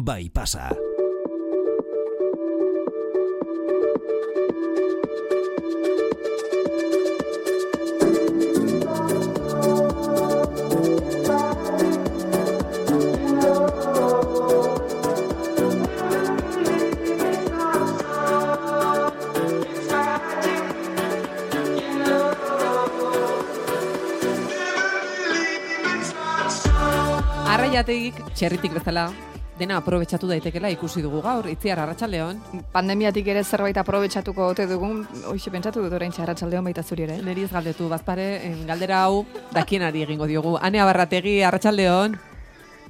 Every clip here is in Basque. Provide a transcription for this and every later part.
bai pasa. Arraiategik txerritik bezala dena aprobetxatu daitekela ikusi dugu gaur, Itziar, arratsaldeon. Pandemiatik ere zerbait aprobetxatuko ote dugun, hoxe pentsatu dut orain arratsaldeon baita zuri ere. Neri ez galdetu, bazpare, galdera hau dakienari egingo diogu. Ane Abarrategi, arratsaldeon.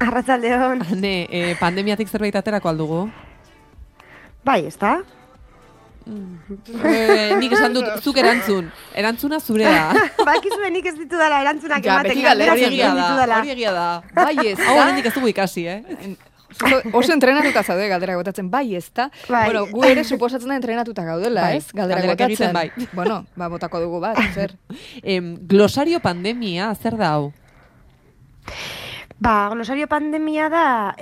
Arratsaldeon. Ane, pandemiatik zerbait aterako aldugu? Bai, ezta? Nik esan dut, zuk erantzuna zurea. Bakizue nik ez ditudala erantzunak Ja, ematen. beti galdera Hori egia da. Bai, ez Hau da. oraindik ez dugu ikasi, Oso entrenatuta zaude galdera botatzen, bai, ez da. Bai. Bueno, gu ere suposatzen da entrenatuta gaudela, Bai, ez? Galdera galderak botatzen. egiten bai. Bueno, botako dugu bat, zer? Glosario pandemia, zer da hau? Glosario pandemia da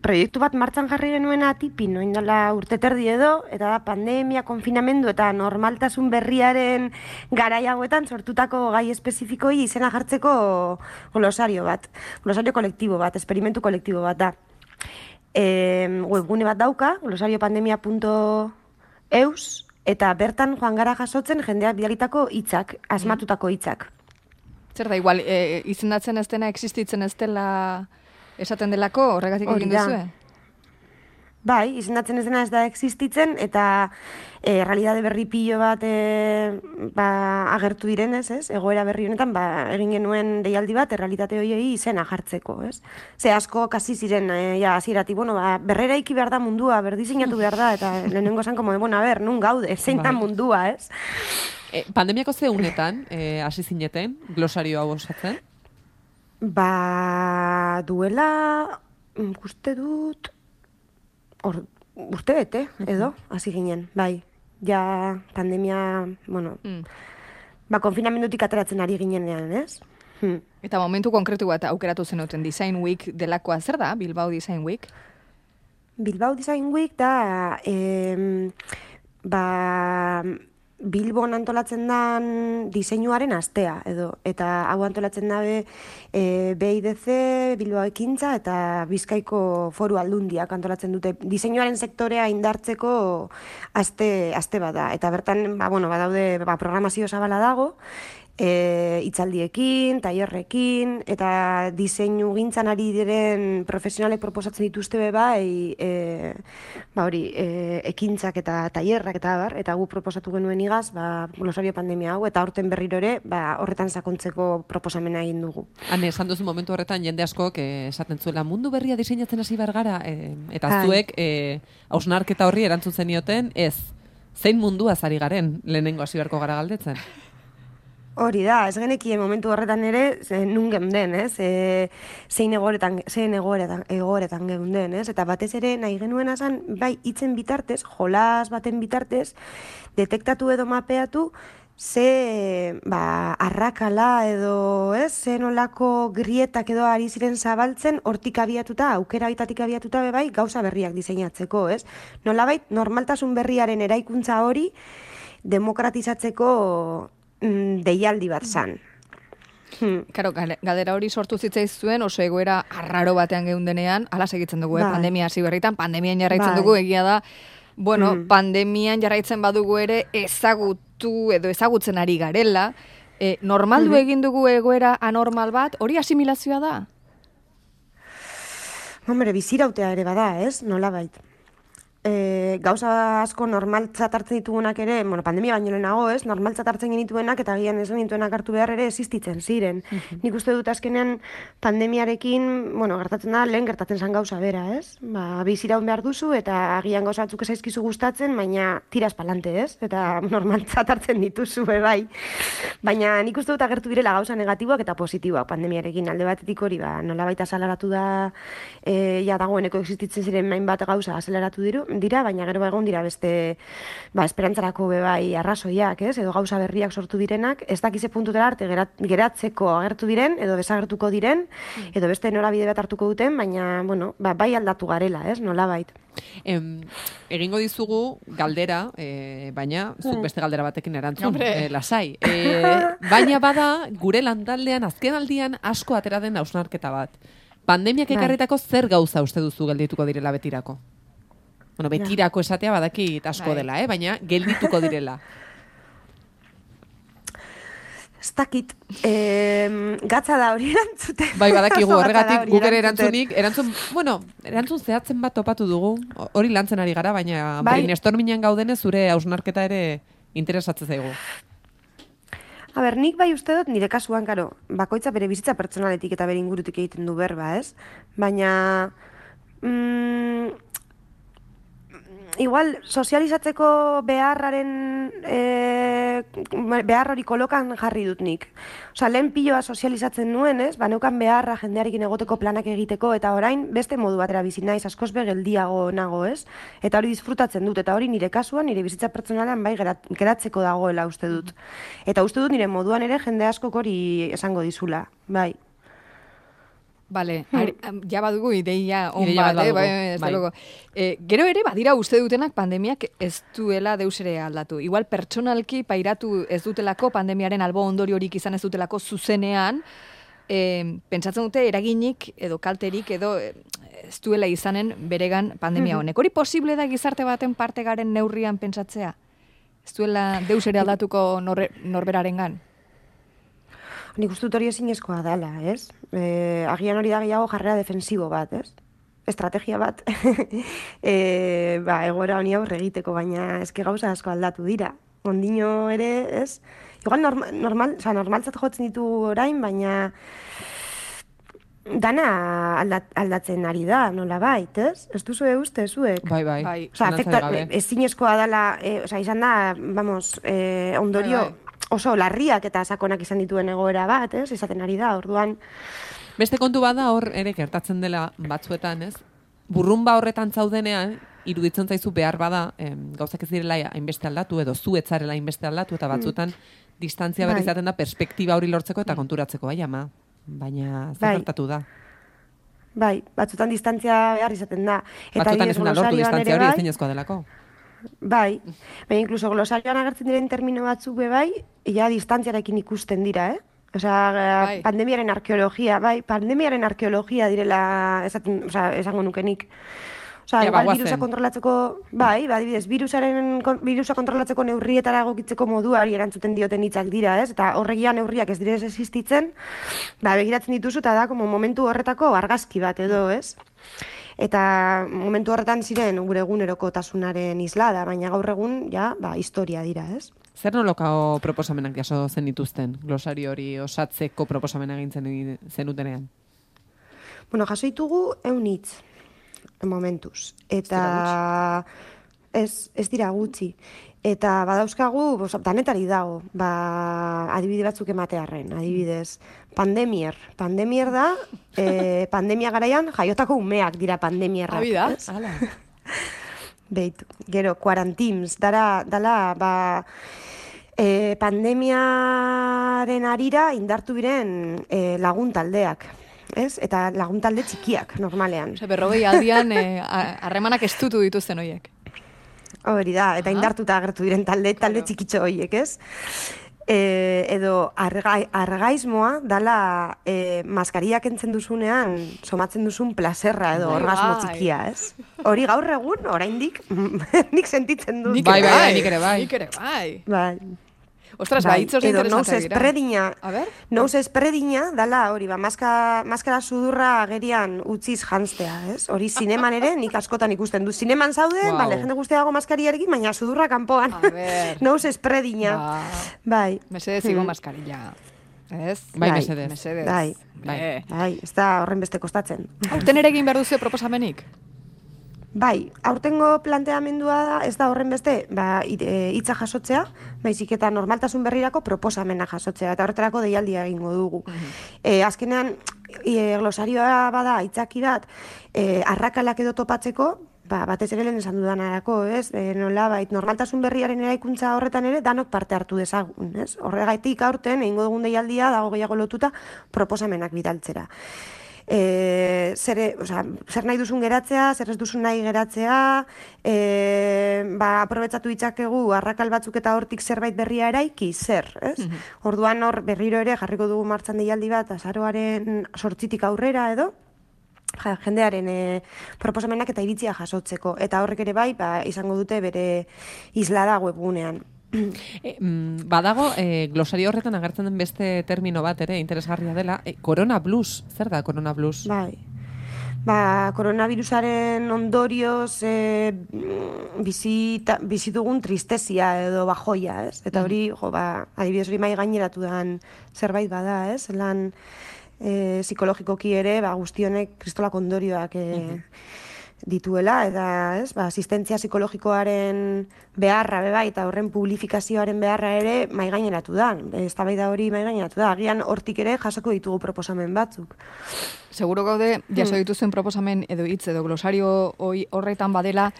proiektu bat martxan jarri genuena tipin, noin dela urte terdi edo, eta da pandemia, konfinamendu eta normaltasun berriaren garai hauetan sortutako gai espezifikoi izena jartzeko glosario bat, glosario kolektibo bat, esperimentu kolektibo bat da. Webgune bat dauka, glosariopandemia.eus, eta bertan joan gara jasotzen jendeak bidalitako hitzak, asmatutako hitzak. Zer da, igual, izendatzen ez dena, existitzen ez dela esaten delako, horregatik Hori egin da. duzue? Bai, izendatzen ez dena ez da existitzen, eta realitate berri pilo bat agertu direnez, ez? Egoera berri honetan, egin genuen deialdi bat, realitate horiei izena jartzeko, ez? Ze asko kasi ziren, hasieratik, berreraiki behar da mundua, berdiseinatu behar da, eta lehenengo esan, nun gaude, zein da mundua, ez? Pandemiako ze unetan hasi zineten glosario hau osatzen? Duela, uste dut, urte bete, edo, hasi ginen, bai. Ja, pandemia, konfinamendutik ateratzen ari ginenean, ez? Eta momentu konkretu bat aukeratu zenuten Design Week delakoa, zer da, Bilbao Design Week? Bilbao Design Week da, Bilbon antolatzen dan diseinuaren astea, edo. Eta hau antolatzen dabe BIDC, Bilbao Ekintza eta Bizkaiko Foru Aldundiak antolatzen dute diseinuaren sektorea indartzeko aste bat da. Eta bertan, badaude programazio zabala dago, hitzaldiekin, tailerrekin, eta diseinu gintzan ari diren profesionalek proposatzen dituzte ekintzak eta tailerrak eta gu proposatu genuen igaz, glosario pandemia hau, eta aurten berriro ere, horretan sakontzeko proposamena egin dugu. Hane, esan duzu momentu horretan jende askok esaten zuela mundu berria diseinatzen hasi behar gara, eta zuek hausnarketa horri erantzun zenioten, ez, zein munduaz ari garen lehenengo hasi beharko gara galdetzen? Hori da, ez genekien momentu horretan ere, nun geunden, ez? Zein egoeretan geunden, ez? Eta batez ere nahi genuen azan, bai, hitzen bitartez, jolas baten bitartez, detektatu edo mapeatu, ze arrakala edo, ez? Ze nolako grietak edo ari ziren zabaltzen, hortik abiatuta, aukera baitatik abiatuta bai, gauza berriak diseinatzeko, ez? Nolabait, normaltasun berriaren eraikuntza hori demokratizatzeko deialdi bat zan. Karo, galdera hori sortu zitzaizuen oso egoera arraro batean geundenean, ala segitzen dugu, pandemia hasi berritan, pandemian jarraitzen dugu, egia da, pandemian jarraitzen badugu ere ezagutu edo ezagutzen ari garela, normaldu egin dugu egoera anormal bat, hori asimilazioa da? Bizirautea ere bada, ez? Nolabait. Gauza asko normaltzat hartzen ditugunak ere, pandemia baino lehenago, ez? Normaltzat hartzen genituenak eta agian ez genituenak hartu behar ere existitzen ziren. Nik uste dut azkenean pandemiarekin, gertatzen da, lehen gertatzen zen gauza bera, ez? Biziraun behar duzu eta agian gauza batzuk ezaizkizu gustatzen, baina tiras palante, ez? Eta normaltzat hartzen dituzu, bai. Baina nik uste dut agertu direla gauza negatiboak eta positiboak pandemiarekin. Alde batetik hori, nolabait azaleratu da, dagoeneko existitzen ziren hainbat gauza azaleratu dira, baina baina gero egon dira beste esperantzarako bebai arrazoiak, ez? Edo gauza berriak sortu direnak, ez dakize puntutera arte geratzeko agertu diren, edo desagertuko diren, edo beste norabide bat hartuko duten, baina, bueno, bai aldatu garela, ez? Nolabait. Egingo dizugu galdera, baina zuk beste galdera batekin erantzun, lasai. Baina bada, gure lantaldean azken aldian asko atera den hausnarketa bat. Pandemiak ekarritako zer gauza uste duzu geldituko direla betirako? Bueno, betirako esatea badakit asko dela, baina geldituko direla. Ez dakit, gatza da hori erantzute. Bai, badakigu horregatik guk ere erantzun zehatzen bat topatu dugu, hori lantzen ari gara, baina brainstormingan gaudenez zure hausnarketa ere interesatzen zaigu. A ber, nik bai uste dut nire kasuan, karo, bakoitza bere bizitza pertsonaletik eta bere ingurutik egiten du berba, ez? Baina, igual, sozializatzeko behar hori kolokan jarri dut nik. Osa, lehen piloa sozializatzen nuen, ez? Neukan beharra jendearekin egoteko planak egiteko, eta orain beste modu batera bizi naiz, askoz geldiago nago, ez? Eta hori disfrutatzen dut, eta hori nire kasuan, nire bizitza pertsonalean bai geratzeko dagoela uste dut. Eta uste dut nire moduan ere jende askok hori esango dizula, bai. Bale, ja badugu ideia on bat, gero ere badira uste dutenak pandemiak ez duela deus ere aldatu. Igual pertsonalki pairatu ez dutelako pandemiaren albo ondoriorik izan ez dutelako zuzenean, pentsatzen dute eraginik edo kalterik edo ez duela izanen beregan pandemia honek. Hori posible da gizarte baten parte garen neurrian pentsatzea? Ez duela deus ere aldatuko norberarengan? Nik uste dut hori ezinezkoa dela, ez? Agian hori da gehiago jarrera defensibo bat, ez? Estrategia bat. Egoera honi aurre egiteko, baina eske gauza asko aldatu dira. Ondino ere, ez? Igual normaltzat jotzen ditu orain, baina dana aldatzen ari da, nola bait, ez? Ez duzu uste, zuek? Bai. Ezinezkoa dela, izan da, ondorio oso larriak eta sakonak izan dituen egoera bat, ez? Izaten ari da, orduan. Beste kontu bada hor ere gertatzen dela batzuetan, ez? Burrunba horretan zaudenean, iruditzen zaizu behar bada, gauzak ez direla hainbeste aldatu, edo zu etzarela hainbeste aldatu, eta batzuetan distantzia berri izaten da perspektiba hori lortzeko eta konturatzeko, ama. Baina zer gertatu da. Bai, batzutan distantzia behar izaten da. Batzutan ezin da lortu distantzia hori ezinezkoa delako. Bai, baina inkluso glosarioan agertzen diren termino batzuk ja distantziarekin ikusten dira, Osea, pandemiaren arkeologia direla esango nukenik. Osea, virusa kontrolatzeko, adibidez, virusa kontrolatzeko neurrietara egokitzeko moduari erantzuten dioten hitzak dira, ez? Eta horregia neurriak ez direz existitzen, begiratzen dituzu eta da momentu horretako argazki bat edo, ez? Eta momentu horretan ziren gure egunerokotasunaren islada, baina gaur egun, historia dira, ez? Zer nolako proposamenak jaso zen dituzten, glosario hori osatzeko proposamena egintzen zenutenean? Bueno, jaso ditugu 100 hitz, momentuz. Eta ez dira gutxi. Eta badauzkagu, danetari dago, adibide batzuk ematearren, adibidez. Pandemier da, pandemia garaian jaiotako umeak dira pandemierra. Habida, ala. Beitu, gero, quarantins, dala, pandemiaren arira indartu biren laguntaldeak. Ez? Eta laguntalde txikiak, normalean. Berrogei aldian harremanak estutu dituzten horiek. Hori da, eta indartuta agertu diren talde txikitxo horiek, ez? Edo argaismoa dala maskariak entzen duzunean somatzen duzun plazerra edo orgasmo txikia, ez? Hori gaur egun, oraindik, nik sentitzen dut. Nik ere bai. Ostras, hitz interesanteak dira. Nose espredina dala hori, maskara sudurra agerian utziz janztea, ez? Hori zineman ere, nik askotan ikusten du. Zineman zaude, jende guztiago maskariarekin, baina sudurra kanpoan. Nose espredina. Bai. Mesedez igo maskarilla. Ez? Bai, mesedez. Bai, ez da horren beste kostatzen. Aurten ere egin behar duzu proposamenik? Bai, aurtengo planteamendua da, ez da horren beste, hitza jasotzea, baizik eta normaltasun berrirako proposamena jasotzea, eta horretarako deialdia egingo dugu. Azkenean, glosarioa bada hitzaki bat, arrakalak edo topatzeko, batez ere lehen esan dudanarako, ez? Nolabait, normaltasun berriaren eraikuntza horretan ere danok parte hartu dezagun, ez? Horregaitik aurten, egingo dugun deialdia, dago gehiago lotuta, proposamenak bidaltzera. Zer nahi duzun geratzea, zer ez duzun nahi geratzea, aprobetsatu ditzakegu arrakal batzuk eta hortik zerbait berria eraiki, zer, ez? Orduan hor berriro ere jarriko dugu martxan deialdi bat, azaroaren 8tik aurrera edo, jendearen proposamenak eta iritzia jasotzeko. Eta horrek ere bai, izango dute bere islada webgunean. Badago, glosario horretan agertzen den beste termino bat ere, interesgarria dela, Corona Blues. Zer da Corona Blues? Bai. Koronavirusaren ondorioz bizi dugun tristezia edo bajoia, ez? Eta hori, adibidez hori mai gaineratu den zerbait bada, ez? Lan psikologikoki ere, guztionek kristolak ondorioak dituela, eta asistentzia psikologikoaren beharra beba, eta horren publifikazioaren beharra ere maigaineratu da. Eztabaida hori maigaineratu da. Agian hortik ere jasoko ditugu proposamen batzuk. Seguro gaude, jaso dituzuen proposamen edo hitz edo glosario horretan badela,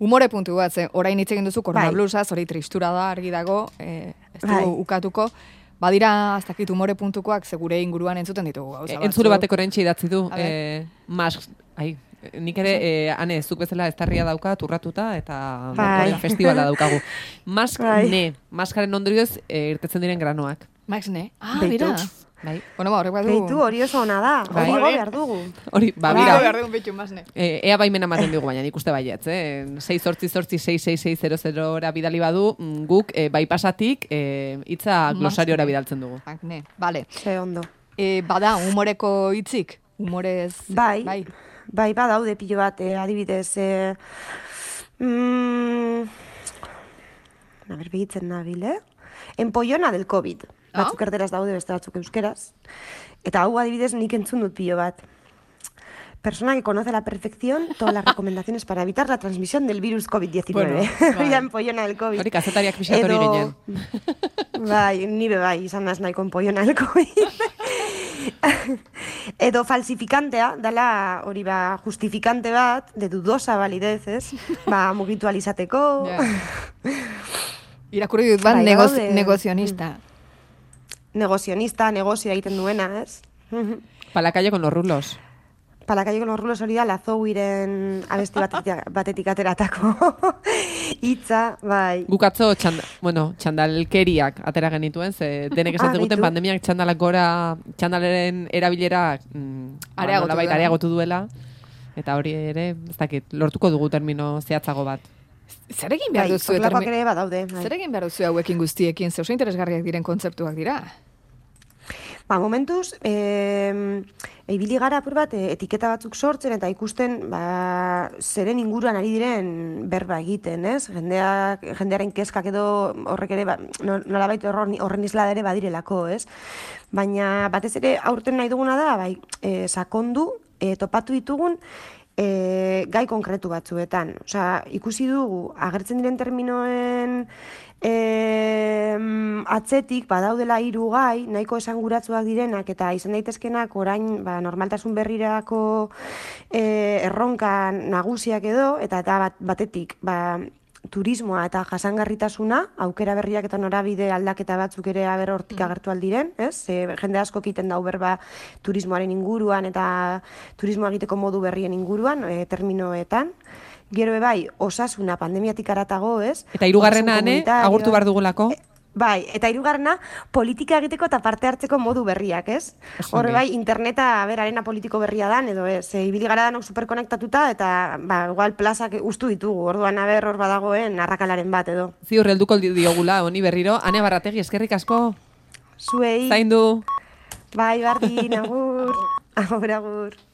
umore puntu bat, orain hitz egin duzu koronablusaz, hori tristura da, argi dago, ez dugu ukatuko. Badira, ez dakit, umore puntukoak, segure inguruan entzuten ditugu gauza batzuk. Entzure batek orain idatzi du, nik ere, ane, zuk bezala eztarria dauka, turratuta, eta festibala daukagu. Maskaren ondorioz irtetzen diren granoak. Maskne? Bera. Bueno, horrek badu... Beitu, hori oso ona da, hori behar dugu. Hori, bira. Behar dugu betu, masne. Ea baimena maten dugu, baina nik uste baietz, 688-666-00 bidali badu, guk bypassatik hitza glosariora bidaltzen dugu. Maskne, bale. Ze ondo. Bada, humoreko hitzik? Humorez... Bai, badaude pilo bat, adibidez, behitzen nabil, Empollona del COVID. Batzuk erderaz daude, beste batzuk euskeraz. Eta hau adibidez nik entzun dut pilo bat. Persona que conoce a la perfección todas las recomendaciones para evitar la transmisión del virus COVID-19. Bueno, empollona del COVID. Hori kazetariak pixat hori ginen. Nire izan naz nahiko empollona del COVID. Edo falsifikantea, dala hori justifikante bat, de dudosa validez, ez? Mugitu alizateko. Irakurri dut bat, negozionista. Negozio egiten duena, ez? Pa la calle con los rulos. Pa la calle con los rulos hori da, Lazouiren abesti batetik ateratako hitza, bai. Gukatzo txandalkeriak atera genituen, ze denek esaten guten pandemiak txandaleren erabilera areagotu duela, eta hori ere, ez dakit, lortuko dugu termino zehatzago bat. Zer egin behar duzu hauekin guztiekin, ze oso interesgarriak diren kontzeptuak dira? Momentuz, ibili gara apur bat etiketa batzuk sortzen eta ikusten zeren inguruan ari diren berba egiten, ez? Jendearen kezkak edo horrek ere nolabait horren isla ere badirelako, ez? Baina batez ere aurten nahi duguna da, sakondu, topatu ditugun gai konkretu batzuetan. Osea, ikusi dugu, agertzen diren terminoen atzetik badaudela 3 gai, nahiko esanguratsuak direnak eta izan daitezkenak orain normaltasun berrirako erronka nagusiak edo, eta batetik turismoa eta jasangarritasuna, aukera berriak eta norabide aldaketa batzuk ere hortik agertu aldiren, ez? Jende asko egiten dau berba turismoaren inguruan eta turismoa egiteko modu berrien inguruan, terminoetan. Gero bai, osasuna pandemiatik aratago, ez? Eta 3. agurtu behar dugulako? Bai, eta 3. politika egiteko eta parte hartzeko modu berriak, ez? Horre bai, interneta arena politiko berria dan, edo ez, ibili gara danok superkonektatuta, eta igual plazak ustu ditugu, orduan hor badagoen arrakalaren bat, edo. Ziur, helduko diogula, honi berriro. Ane Barrategi, eskerrik asko. Zuei. Zaindu. Bai, bardin, agur. Agur.